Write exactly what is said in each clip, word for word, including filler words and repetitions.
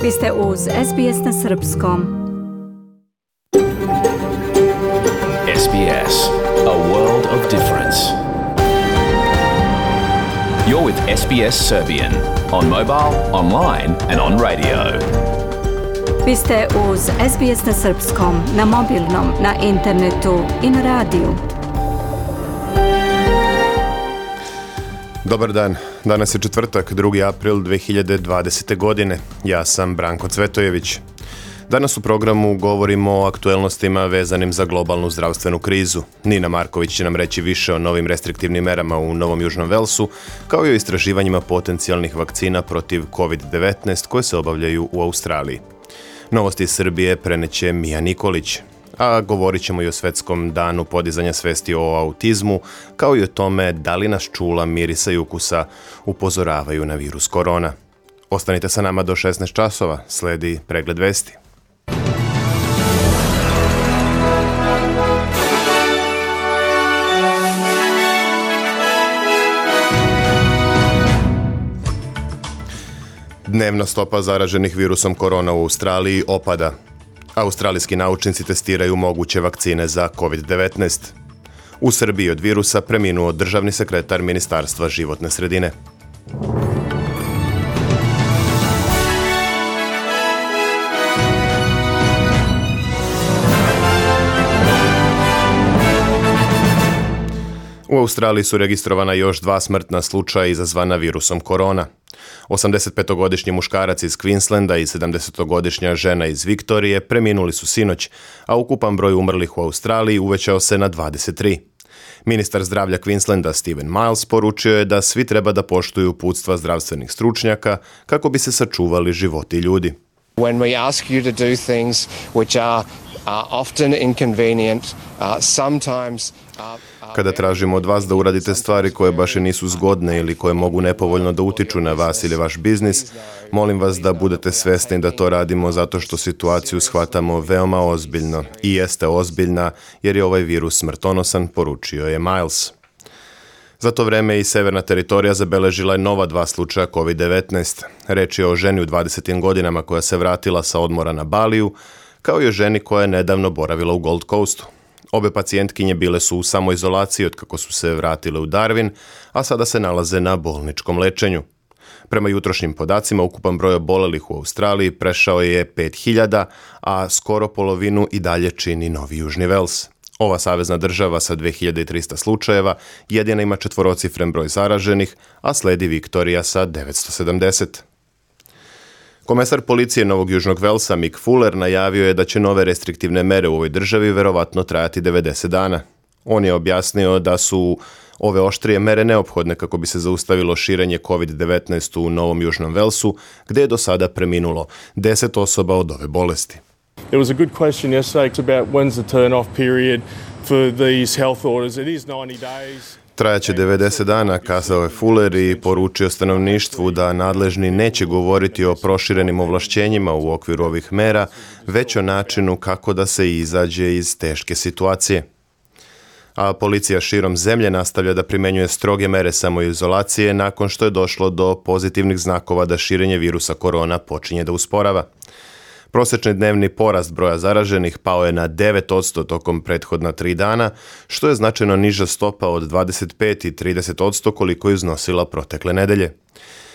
Vi ste uz S B S na srpskom. S B S, a world of difference. You're with S B S Serbian on mobile, online and on radio. Vi ste uz S B S na srpskom, na mobilnom, na internetu i na radiju. Dobar dan, danas je četvrtak, drugi april dve hiljade dvadesete. godine. Ja sam Branko Cvetojević. Danas u programu govorimo o aktuelnostima vezanim za globalnu zdravstvenu krizu. Nina Marković će nam reći više o novim restriktivnim merama u Novom Južnom Velsu, kao i o istraživanjima potencijalnih vakcina protiv kovid devetnaest koje se obavljaju u Australiji. Novosti iz Srbije preneće Mija Nikolić, a govorit ćemo i o svetskom danu podizanja svesti o autizmu, kao i o tome da li nas čula, mirisa i ukusa upozoravaju na virus korona. Ostanite sa nama do šesnaest časova, sledi pregled vesti. Dnevna stopa zaraženih virusom korona u Australiji opada. Australijski naučnici testiraju moguće vakcine za kovid devetnaest. U Srbiji od virusa preminuo državni sekretar Ministarstva životne sredine. U Australiji su registrovana još dva smrtna slučaja izazvana virusom korona. osamdesetpetogodišnji muškarac iz Queenslanda i sedamdesetogodišnja žena iz Viktorije preminuli su sinoć, a ukupan broj umrlih u Australiji uvećao se na dvadeset tri. Ministar zdravlja Queenslanda Stephen Miles poručio je da svi treba da poštuju uputstva zdravstvenih stručnjaka kako bi se sačuvali životi ljudi. When we ask you to do things which are uh, often inconvenient, uh, sometimes uh, Kada tražimo od vas da uradite stvari koje baš i nisu zgodne ili koje mogu nepovoljno da utiču na vas ili vaš biznis, molim vas da budete svesni da to radimo zato što situaciju shvatamo veoma ozbiljno i jeste ozbiljna jer je ovaj virus smrtonosan, poručio je Miles. Za to vreme i severna teritorija zabeležila je nova dva slučaja kovid devetnaest. Reč je o ženi u dvadesetim godinama koja se vratila sa odmora na Baliju, kao i o ženi koja je nedavno boravila u Gold Coastu. Obe pacijentkinje bile su u samoizolaciji od kako su se vratile u Darwin, a sada se nalaze na bolničkom lečenju. Prema jutrošnjim podacima, ukupan broj obolelih u Australiji prešao je pet hiljada, a skoro polovinu i dalje čini Novi Južni Vels. Ova savezna država sa dve hiljade trista slučajeva jedina ima četvorocifren broj zaraženih, a sledi Viktorija sa devetsto sedamdeset. Komesar policije Novog Južnog Velsa Mick Fuller najavio je da će nove restriktivne mere u ovoj državi verovatno trajati devedeset dana. On je objasnio da su ove oštrije mere neophodne kako bi se zaustavilo širenje kovid devetnaest u Novom Južnom Velsu, gde je do sada preminulo deset osoba od ove bolesti. It was a good question yesterday about when's the turn-off period for these health orders. It is ninety days. Trajaće devedeset dana, kazao je Fuller i poručio stanovništvu da nadležni neće govoriti o proširenim ovlašćenjima u okviru ovih mera, već o načinu kako da se izađe iz teške situacije. A policija širom zemlje nastavlja da primenjuje stroge mere samoizolacije nakon što je došlo do pozitivnih znakova da širenje virusa korona počinje da usporava. Prosječni dnevni porast broja zaraženih pao je na devet posto tokom prethodna tri dana, što je značajno niža stopa od dvadeset pet i trideset posto koliko je iznosila protekle nedelje.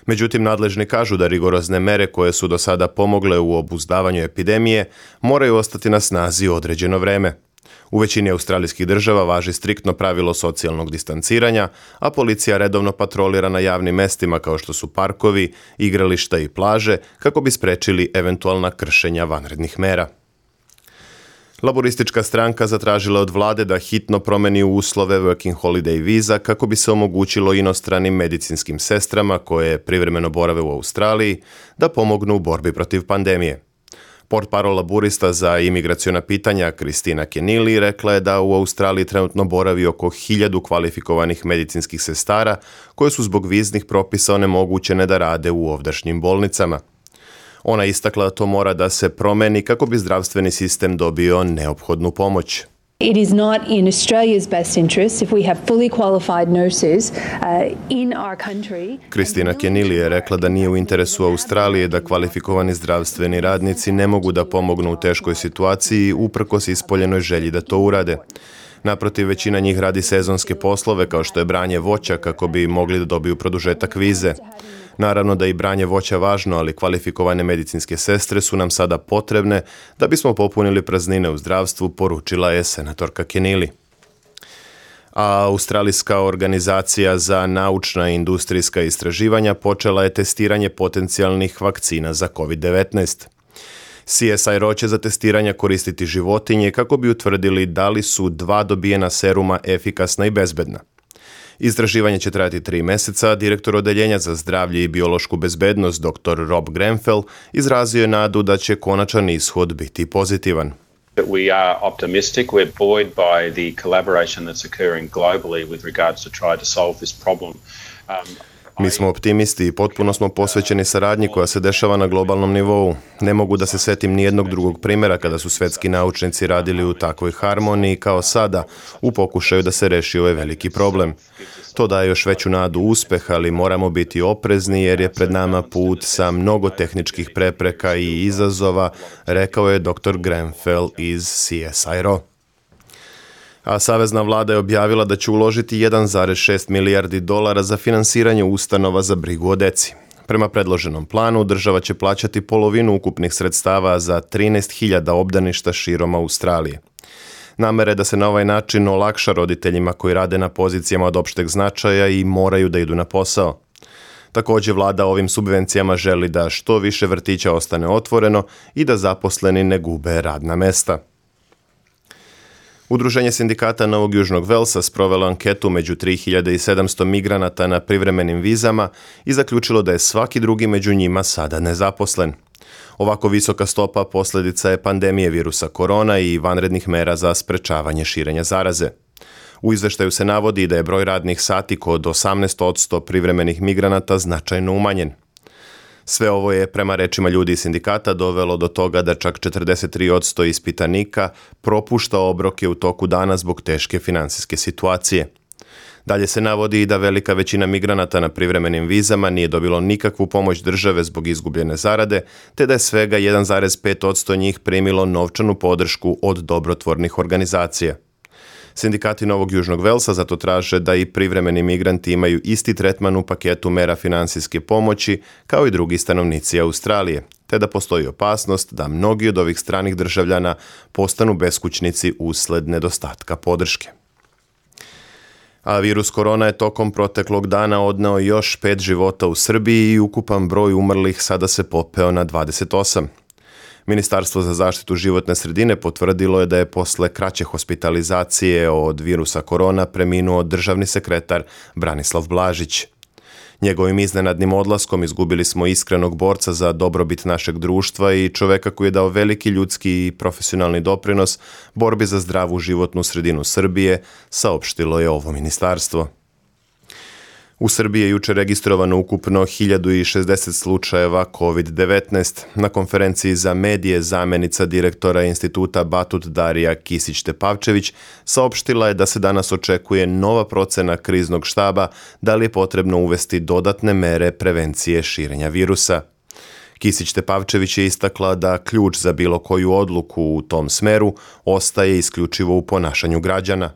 Međutim, nadležni kažu da rigorozne mere koje su do sada pomogle u obuzdavanju epidemije moraju ostati na snazi određeno vreme. U većini australijskih država važi striktno pravilo socijalnog distanciranja, a policija redovno patrolira na javnim mestima kao što su parkovi, igrališta i plaže kako bi sprečili eventualna kršenja vanrednih mera. Laboristička stranka zatražila od vlade da hitno promeni uslove Working Holiday Visa kako bi se omogućilo inostranim medicinskim sestrama koje privremeno borave u Australiji da pomognu u borbi protiv pandemije. Portparol laburista za imigraciona pitanja Kristina Kenili rekla je da u Australiji trenutno boravi oko hiljadu kvalifikovanih medicinskih sestara koje su zbog viznih propisa onemogućene da rade u ovdašnjim bolnicama. Ona istakla da to mora da se promeni kako bi zdravstveni sistem dobio neophodnu pomoć. It is not in Australia's best interest if we have fully qualified nurses uh, in our country. Kristina Kenili je rekla da nije u interesu Australije da kvalifikovani zdravstveni radnici ne mogu da pomognu u teškoj situaciji uprkos ispoljenoj želji da to urade. Naprotiv, većina njih radi sezonske poslove kao što je branje voća kako bi mogli da dobiju produžetak vize. Naravno da je i branje voća važno, ali kvalifikovane medicinske sestre su nam sada potrebne da bismo popunili praznine u zdravstvu, poručila je senatorka Kenili. A Australijska organizacija za naučna i industrijska istraživanja počela je testiranje potencijalnih vakcina za kovid devetnaest. C S I R O će za testiranja koristiti životinje kako bi utvrdili da li su dva dobijena seruma efikasna i bezbedna. Istraživanje će trajati tri meseca, direktor odeljenja za zdravlje i biološku bezbednost dr Rob Grenfell izrazio je nadu da će konačan ishod biti pozitivan. We are optimistic. We're buoyed by the collaboration that's occurring globally with regards to try to solve this problem. Um, Mi smo optimisti i potpuno smo posvećeni saradnji koja se dešava na globalnom nivou. Ne mogu da se setim nijednog drugog primjera kada su svetski naučnici radili u takvoj harmoniji kao sada, u pokušaju da se reši ovaj veliki problem. To daje još veću nadu uspeha, ali moramo biti oprezni jer je pred nama put sa mnogo tehničkih prepreka i izazova, rekao je dr Grenfell iz C S I R O. A savezna vlada je objavila da će uložiti jedan zarez šest milijardi dolara za finansiranje ustanova za brigu o deci. Prema predloženom planu, država će plaćati polovinu ukupnih sredstava za trinaest hiljada obdaništa širom Australije. Namera je da se na ovaj način olakša roditeljima koji rade na pozicijama od opšteg značaja i moraju da idu na posao. Također vlada ovim subvencijama želi da što više vrtića ostane otvoreno i da zaposleni ne gube radna mesta. Udruženje sindikata Novog Južnog Velsa sprovelo anketu među tri hiljade sedamsto migranata na privremenim vizama i zaključilo da je svaki drugi među njima sada nezaposlen. Ovako visoka stopa posljedica je pandemije virusa korona i vanrednih mera za sprečavanje širenja zaraze. U izveštaju se navodi da je broj radnih sati kod osamnaest posto privremenih migranata značajno umanjen. Sve ovo je, prema rečima ljudi iz sindikata, dovelo do toga da čak četrdeset tri posto ispitanika propušta obroke u toku dana zbog teške finansijske situacije. Dalje se navodi i da velika većina migranata na privremenim vizama nije dobilo nikakvu pomoć države zbog izgubljene zarade, te da je svega jedan zarez pet posto njih primilo novčanu podršku od dobrotvornih organizacija. Sindikati Novog Južnog Velsa zato traže da i privremeni migranti imaju isti tretman u paketu mera finansijske pomoći kao i drugi stanovnici Australije, te da postoji opasnost da mnogi od ovih stranih državljana postanu beskućnici usled nedostatka podrške. A virus korona je tokom proteklog dana odneo još pet života u Srbiji i ukupan broj umrlih sada se popeo na dvadeset osam. Ministarstvo za zaštitu životne sredine potvrdilo je da je posle kraće hospitalizacije od virusa korona preminuo državni sekretar Branislav Blažić. Njegovim iznenadnim odlaskom izgubili smo iskrenog borca za dobrobit našeg društva i čoveka koji je dao veliki ljudski i profesionalni doprinos borbi za zdravu životnu sredinu Srbije, saopštilo je ovo ministarstvo. U Srbiji je jučer registrovano ukupno hiljadu šezdeset slučajeva kovid devetnaest. Na konferenciji za medije zamjenica direktora instituta Batut Darija Kisić-Tepavčević saopštila je da se danas očekuje nova procena kriznog štaba da li je potrebno uvesti dodatne mere prevencije širenja virusa. Kisić-Tepavčević je istakla da ključ za bilo koju odluku u tom smeru ostaje isključivo u ponašanju građana.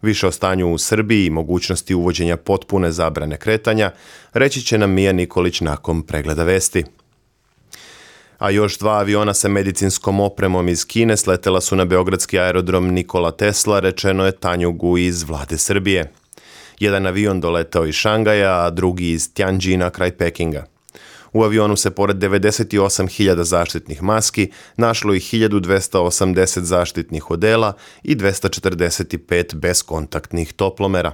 Više o stanju u Srbiji i mogućnosti uvođenja potpune zabrane kretanja reći će nam Mija Nikolić nakon pregleda vesti. A još dva aviona sa medicinskom opremom iz Kine sletela su na beogradski aerodrom Nikola Tesla, rečeno je Tanjugu iz vlade Srbije. Jedan avion doletao iz Šangaja, a drugi iz Tjanđina kraj Pekinga. U avionu se pored devedeset osam hiljada zaštitnih maski našlo i hiljadu dvesta osamdeset zaštitnih odela i dvesta četrdeset pet beskontaktnih toplomera.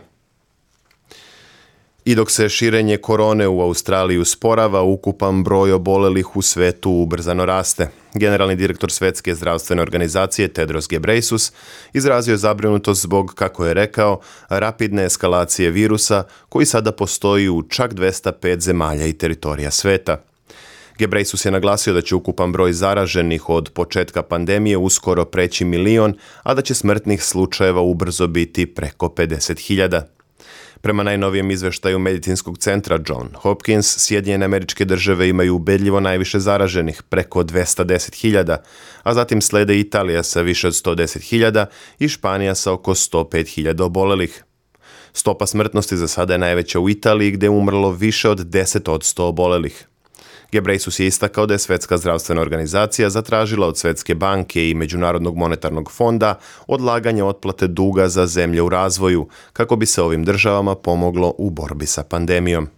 I dok se širenje korone u Australiji usporava, ukupan broj obolelih u svetu ubrzano raste. Generalni direktor Svetske zdravstvene organizacije Tedros Ghebreyesus izrazio je zabrinutost zbog, kako je rekao, rapidne eskalacije virusa koji sada postoji u čak dvesta pet zemalja i teritorija sveta. Ghebreyesus je naglasio da će ukupan broj zaraženih od početka pandemije uskoro preći milion, a da će smrtnih slučajeva ubrzo biti preko pedeset hiljada. Prema najnovijem izveštaju medicinskog centra John Hopkins, Sjedinjene Američke Države imaju ubedljivo najviše zaraženih, preko dvesta deset hiljada, a zatim slede Italija sa više od sto deset hiljada i Španija sa oko sto pet hiljada obolelih. Stopa smrtnosti za sada je najveća u Italiji, gdje je umrlo više od deset posto obolelih. Ghebreyesus je istakao da je Svjetska zdravstvena organizacija zatražila od Svjetske banke i Međunarodnog monetarnog fonda odlaganje otplate duga za zemlje u razvoju, kako bi se ovim državama pomoglo u borbi sa pandemijom.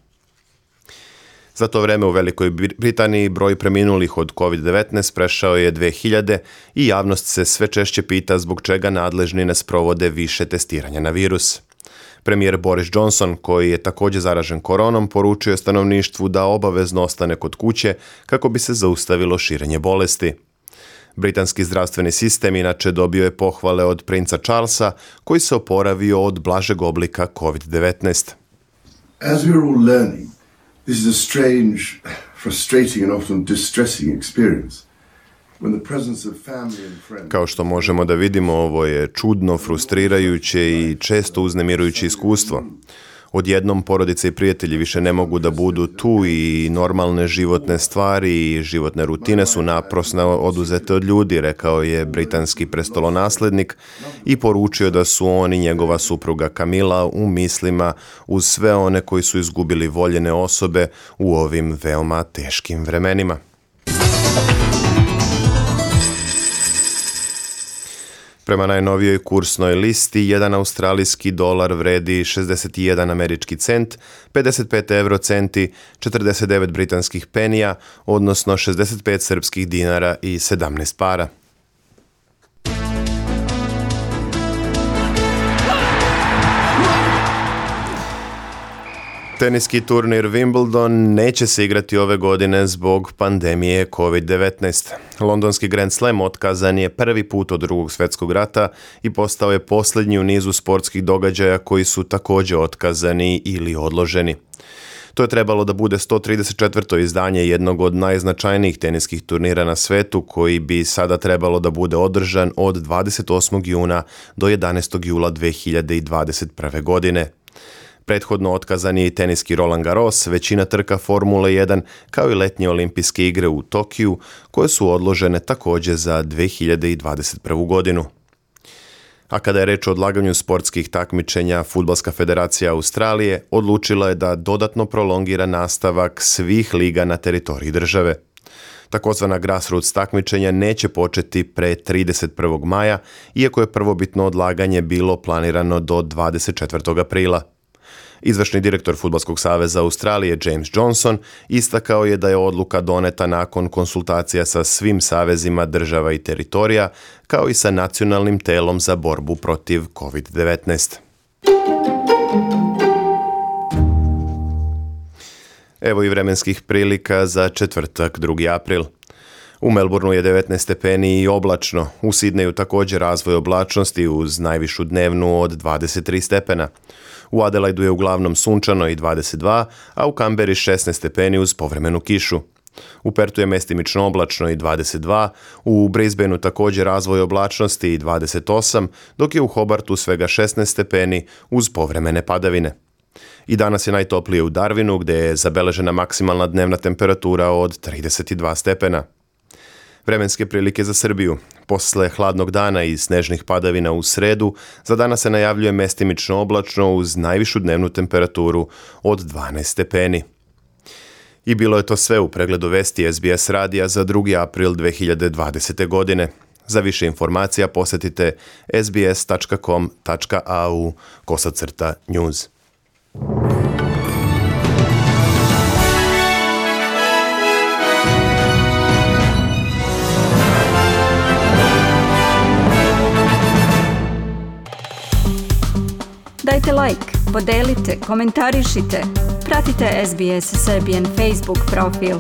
Za to vreme u Velikoj Britaniji broj preminulih od kovid devetnaest prešao je dve hiljade i javnost se sve češće pita zbog čega nadležni ne sprovode više testiranja na virus. Premijer Boris Johnson, koji je također zaražen koronom, poručio je stanovništvu da obavezno ostane kod kuće kako bi se zaustavilo širenje bolesti. Britanski zdravstveni sistem inače dobio je pohvale od princa Charlesa, koji se oporavio od blažeg oblika kovid devetnaest. As we are all learning, this is a strange, frustrating and often distressing experience. Kao što možemo da vidimo, ovo je čudno, frustrirajuće i često uznemirujuće iskustvo. Odjednom porodice i prijatelji više ne mogu da budu tu i normalne životne stvari i životne rutine su naprosno oduzete od ljudi, rekao je britanski prestolonaslednik i poručio da su on i njegova supruga Camilla u mislima uz sve one koji su izgubili voljene osobe u ovim veoma teškim vremenima. Prema najnovijoj kursnoj listi, jedan australijski dolar vredi šezdeset jedan američki cent, pedeset pet eurocenti, četrdeset devet britanskih penija, odnosno šezdeset pet srpskih dinara i sedamnaest para. Teniski turnir Wimbledon neće se igrati ove godine zbog pandemije kovid devetnaest. Londonski Grand Slam otkazan je prvi put od drugog svjetskog rata i postao je posljednji u nizu sportskih događaja koji su također otkazani ili odloženi. To je trebalo da bude sto trideset četvrto izdanje jednog od najznačajnijih teniskih turnira na svetu, koji bi sada trebalo da bude održan od dvadeset osmog juna do jedanaestog jula dve hiljade dvadeset prve. godine. Prethodno otkazan je i teniski Roland Garros, većina trka Formule jedan, kao i letnje olimpijske igre u Tokiju, koje su odložene također za dve hiljade dvadeset prvu. godinu. A kada je reč o odlaganju sportskih takmičenja, Fudbalska federacija Australije odlučila je da dodatno prolongira nastavak svih liga na teritoriji države. Takozvana grassroots takmičenja neće početi pre trideset prvog maja, iako je prvobitno odlaganje bilo planirano do dvadeset četvrtog aprila. Izvršni direktor Fudbalskog saveza Australije James Johnson istakao je da je odluka doneta nakon konsultacija sa svim savezima država i teritorija, kao i sa nacionalnim telom za borbu protiv kovid devetnaest. Evo i vremenskih prilika za četvrtak, drugi april. U Melbourneu je devetnaest stepeni i oblačno, u Sidneju također razvoj oblačnosti uz najvišu dnevnu od dvadeset tri stepena. U Adelaidu je uglavnom sunčano i dvadeset dva, a u Kamberi šesnaest stepeni uz povremenu kišu. U Pertu je mestimično oblačno i dvadeset dva, u Brisbaneu također razvoj oblačnosti i dvadeset osam, dok je u Hobartu svega šesnaest stepeni uz povremene padavine. I danas je najtoplije u Darwinu, gdje je zabeležena maksimalna dnevna temperatura od trideset dva stepena. Vremenske prilike za Srbiju. Posle hladnog dana i snežnih padavina u sredu, za danas se najavljuje mestimično oblačno uz najvišu dnevnu temperaturu od dvanaest stepeni. I bilo je to sve u pregledu vesti S B S radija za drugi april dve hiljade dvadesete. godine. Za više informacija posjetite s b s tačka com tačka a u kosacrta news. Dajte like, podelite, komentarišite. Pratite S B S Serbian Facebook profil.